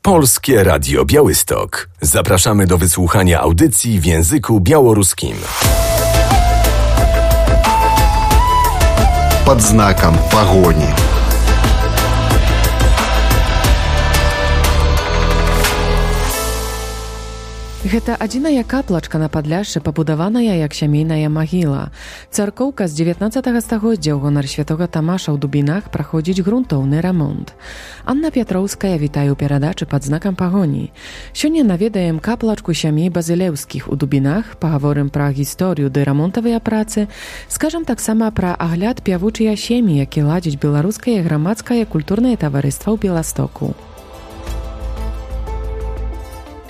Polskie Radio Białystok. Zapraszamy do wysłuchania audycji w języku białoruskim. Под знаком погони. Гэта адзіная каплачка на Падляшшы, пабудаваная як сямейная магіла. Царкоўка з 19 стагоддзя ў гонар святога Тамаша ў Дубінах праходзіць грунтоўны рамонт. Анна Пятроўская вітае ў перадачы «Пад знакам пагоні». Сёння наведаем каплачку сямей Базылеўскіх у Дубінах, пагаворым пра гісторыю ды рамонтавыя працы, скажам таксама пра агляд пявучыя сем'і, які ладзіць беларускае грамадскае культурнае таварыства ў Беластоку.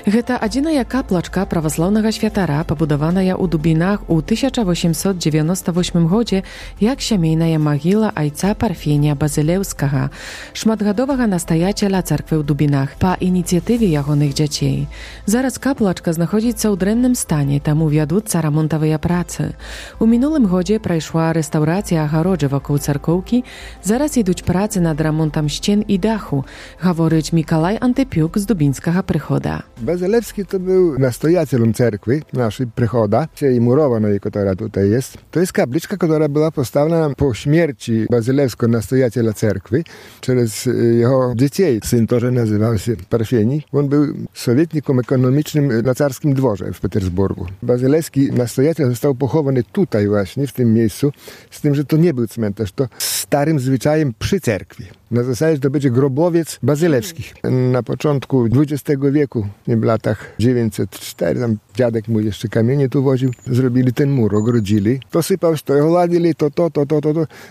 Гэта адзіная каплачка праваслаўнага святара, пабудаваная ў Дубінах у 1898 годзе як сямейная магіла айца Парфенія Базылеўскага, шматгадовага настаяцеля царквы ў Дубінах, па ініцыятыве ягоных дзяцей. Зараз каплачка знаходзіцца ў дрэнным стане, таму вядуцца рамонтавыя працы. У мінулым годзе прайшла рэстаўрацыя агароджы вакол царкоўкі, зараз ідуць працы над рамонтам сцен і даху, гаворыць Мікалай Антыпюк з дубінскага прыхода. Bazylewski to był nastojacielem cerkwi naszej przychoda, tej murowanej, która tutaj jest. To jest kapliczka, która była postawiona po śmierci Bazylewskiego nastojaciela cerkwi przez jego dzieci. Syn to, że nazywał się Parfieni. On był sowietnikiem ekonomicznym na carskim dworze w Petersburgu. Bazylewski nastojaciel został pochowany tutaj właśnie, w tym miejscu, z tym, że to nie był cmentarz, to starym zwyczajem przy cerkwi. Na zasadzie, że to będzie grobowiec Bazylewskich. Na początku XX wieku, w latach 904, tam dziadek mój jeszcze kamienie tu woził, zrobili ten mur, ogrodzili. To sypał, to go ładili, to.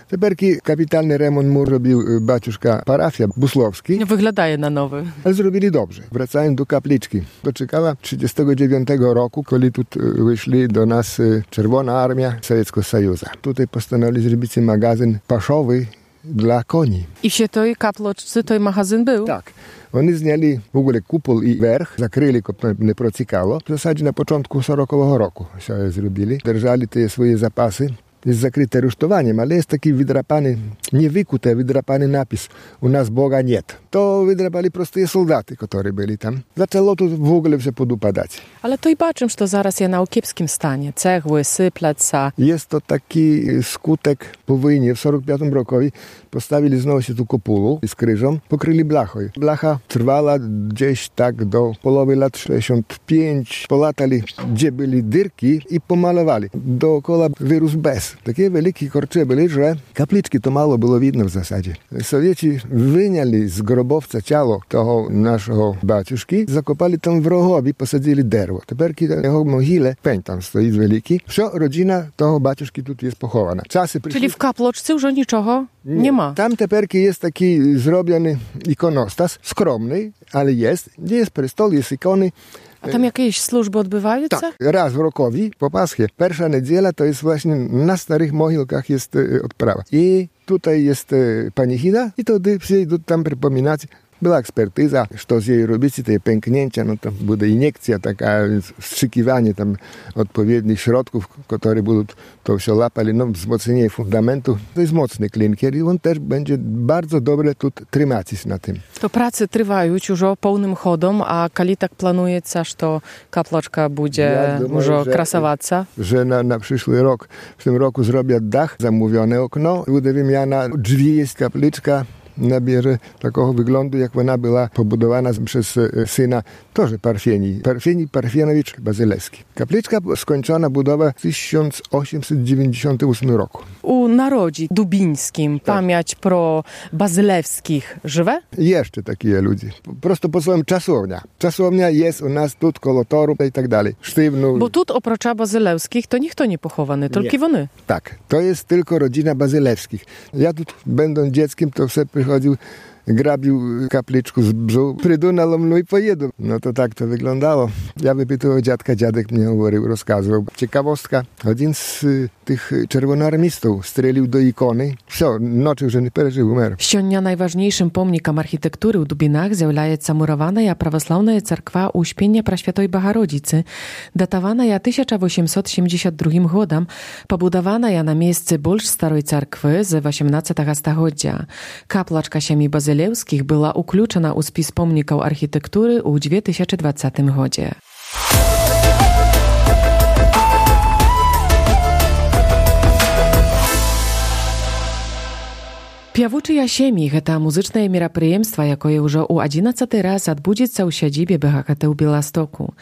Teperki kapitalny remont mur robił baciuszka parafia Buslowski. Wyglądaje na nowy. Ale zrobili dobrze. Wracając do kapliczki. Doczekała 1939 roku, kiedy tu wyszli do nas Czerwona Armia Sowieckiego Sojuza. Tutaj postanowili zrobić magazyn paszowy dla koni. I w tej kaplочці той magazyn był? Tak. Oni zняли w ogóle kupol i werch, zakryli, żeby nie procikało. W zasadzie na początku 40 roku się zrobili. Держали te swoje zapasy. Jest zakryte rusztowaniem, ale jest taki wydrapany, niewykute, wydrapany napis u nas Boga nie. To wydrapali proste soldaty, które byli tam. Zaczęło tu w ogóle się podupadać. Ale to i baczym, że zaraz jest na kiepskim stanie. Cegły, sypleca. Jest to taki skutek po wojnie. W 45 roku postawili znowu się tu kopulu z krzyżem, pokryli blachą. Blacha trwała gdzieś tak do połowy lat 65. Polatali, gdzie byli dyrki i pomalowali. Dookoła wyrósł bez. Takie wielkie korcze byli, że kapliczki to mało było widno w zasadzie. Sowieci wyniali z grobowca ciało tego naszego baciuszki, zakopali tam w rogowi, posadzili derło. Teperki jego mogile, peń tam stoi wielki. Wся rodzina tego baciuszki tu jest pochowana. Czyli w kaploczce już niczego nie ma? Tam teperki jest taki zrobiony ikonostas, skromny, ale jest. Gdzie jest prestol, jest ikony. A tam jakieś służby odbywają? Tak, raz w rokowi, po Paschie. Pierwsza niedziela to jest właśnie na starych mogilkach jest odprawa. I tutaj jest panichida i wtedy przyjdą tam przypominać. Była ekspertyza, co z jej robić, te pęknięcia, no to będzie iniekcja, taka wstrzykiwanie tam odpowiednich środków, które będą to się lapali, no wzmocnienie fundamentu. To jest mocny klinkier i on też będzie bardzo dobre tu trzymać na tym. To prace trwają już pełnym chodem, a kiedy tak planujecie, że kaplaczka będzie może krasować? Że na przyszły rok, w tym roku zrobię dach, zamówione okno, będzie wymiana drzwi, jest kapliczka. Nabierze takiego wyglądu, jak ona była pobudowana przez syna też Parfienowicz Bazylewski. Kapliczka skończona budowa w 1898 roku. U narodzi dubińskim pamięć pro Bazylewskich żywe? Jeszcze takie ludzie. Prosto posłucham czasownia. Czasownia jest u nas tu koło toru i tak dalej. Sztywno. Bo tu oprócz Bazylewskich to nikt nie pochowany, tylko one. Tak, to jest tylko rodzina Bazylewskich. Ja tu będąc dzieckiem to sobie przychodził, grabił kapliczku z brzegu, przydunał mną i pojedą. No to tak to wyglądało. Ja wypytał dziadka, dziadek mnie mówił, rozkazywał. Ciekawostka, jeden z tych czerwonoarmistów strzelił do ikony. Все, nocą, że nie przeżył, umarł. Сёння najważniejszym pomnikiem architektury u Dubinach z'являється murowana православная церква Успення Пресвятої Богородиці, datowana 1872 годом, побудована на місці більш старої церкви з 18 століття. Каплачка сім'ї Базилевських Bazylewskich była uключена u spis pomników architektury u 2020 roku. Pjawuczy Jasiemi – to muzyczne мероприемство, jakie już u 11 raz odbędzie u siedzibie BHKT u Białegostoku.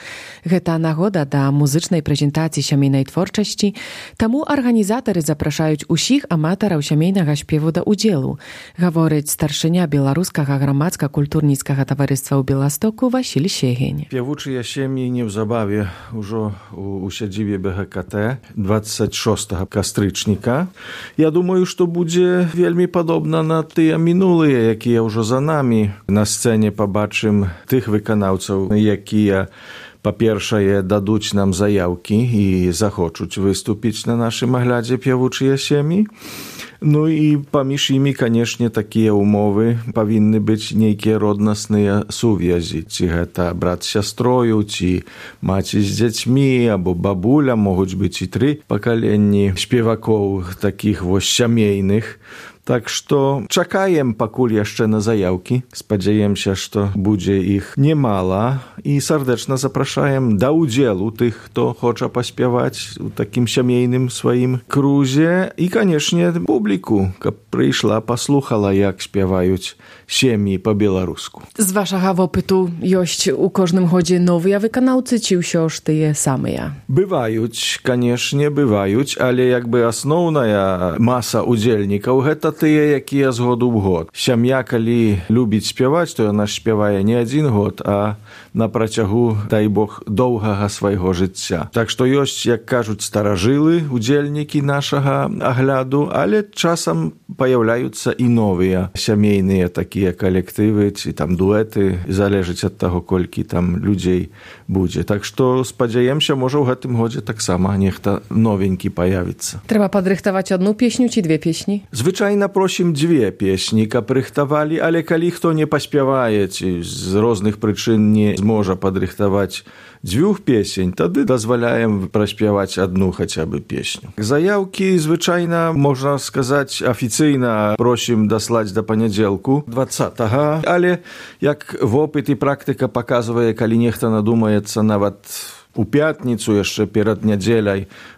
To nagoda do muzycznej prezentacji siemejnej twórczości, temu organizatorzy zapraszają wszystkich amatorów siemejnego śpiewu do udziału, mówi starszynia Białoruskiego Gromadsko-Kulturnickiego Towarzystwa u Białegostoku Wasil Siegeń. Pjawuczy Jasiemi niebzabawie już u siedzibie BHKT 26 kastycznika. Ja думаю, że to będzie wielmi podobne na te minulые, jakie już za nami. Na scenie pobaczymy tych wykonawców, jakie po pierwsze dадуть nam zajawki i zachoczą wystąpić na naszym oгляdzie Pjawuczy Jasiemi. No i поміж nimi, конечно, takie umowy powinny być niekie rodnostne suwiazi. Czy to brat z siostrою, czy macie z dziećmi, albo babuля, mogą być i 3 pokolenia śpiewaków takich siemejnych. Tak, że czekajem pakul jeszcze na zajawki. Spodziewam się, że będzie ich niemalo i serdecznie zapraszam do udziału tych, kto chce pośpiewać w takim siemejnym swoim kruzie i, koniecznie, publiku, która przyszła, posłuchała, jak śpiewają siemi po białorusku. Z waszego opytu jest u każdym chodzie nowe wykonawcy, czy już te same? Bywają, koniecznie bywają, ale jakby основna masa udzielników to te, jakie z году w год. Сям'я, коли любить śpiewać, to ona śpiewa nie один год, a na протягу, дай Бог, довгого swojego życia. Tak, że jest, jak кажуть, старожилы, udzielniki naszego oгляду, ale czasem pojawiają się i nowe siemejne takie kolektywy, czy tam duety, zależy od tego, koliki tam ludzi będzie. Tak, że spodziewam się, może w tym godzie tak samo, niech to nowenki pojawiться. Trzeba podrychtować jedną pieśnię, czy 2 pieśni? Zwyczajnie prosimy 2 pieśni, kaprychtowali, ale kali kto nie pośpiewaje, czy z różnych przyczyn nie może podrychtować 2 pieśń, wtedy dozwalajem prośpiewać jedną chociażby pieśń. Zajawki zwyczajnie, można сказать, oficjalnie prosimy dosłać do poniedziałku 20, ale jak w opyt i praktyka pokazuje, kali niechto nadumается nawet u piatnicu, jeszcze przed niedzielą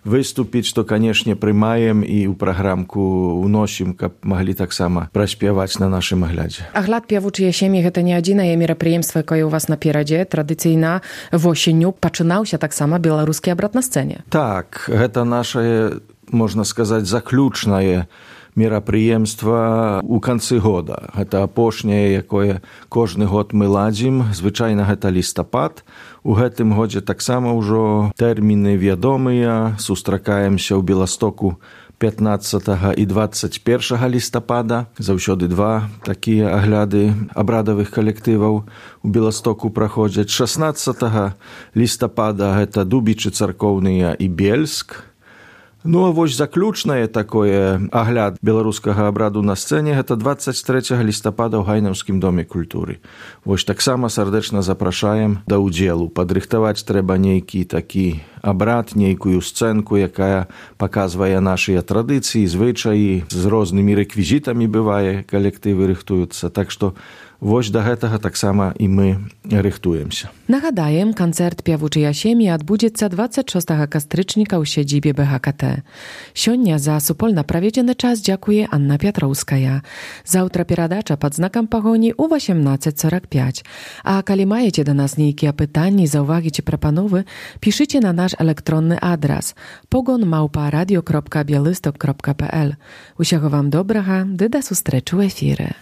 wystąpić, to koniecznie przyjmajem i u programku unosimy, aby mogli tak samo prośpiewać na naszym oгляdzie. Огляд Pjawuczy Jasiemi to nie jedyne мероприемство, jakie u was na pieradzie, tradycyjna w osieniu, poczynał się tak samo białoruski obrat na scenie. Tak, to nasze, można сказать, zakljuczne мероприемства у конце года. Это опошняе, якое кожны год мы ладзім. Звычайна гэта лістапад. У гэтым годзе таксама ўжо тэрміны вядомыя. Сустракаемся ў Беластоку 15 і 21 лістапада. Заўсёды 2 такія агляды абрадавых калектываў у Беластоку праходзяць. 16 лістапада гэта Дубічы царкоўныя і Бельск. Ну, а вось заключнае такое агляд беларускага абраду на сцэне гэта 23 лістапада ў Гайнаўскім доме культуры. Вось таксама сардэчна запрашаем да ўдзелу. Падрыхтаваць трэба нейкі такі абрад, нейкую сцэнку, якая паказвае нашыя традыцыі, звычаі, з рознымі рэквізітамі бывае, калектывы рыхтуюцца. Так што вось да гэтага таксама і мы рыхтуемся. Нагадаем, канцэрт Pjawuczy Jasiemi адбудзецца 26 кастрычніка ў сядзібе БХКТ. Сёння за супольна праведзены час дзякуе Анна Пятроўская. Заўтра перадача пад знакам пагоні ў 18:45. А калі маеце да нас нейкія пытанні, заўвагі ці прапановы, пішыце на наш электронны адрас pogon@radio.bialystok.pl. Усяго вам добрага, ды да сустрэчы ў эфіры.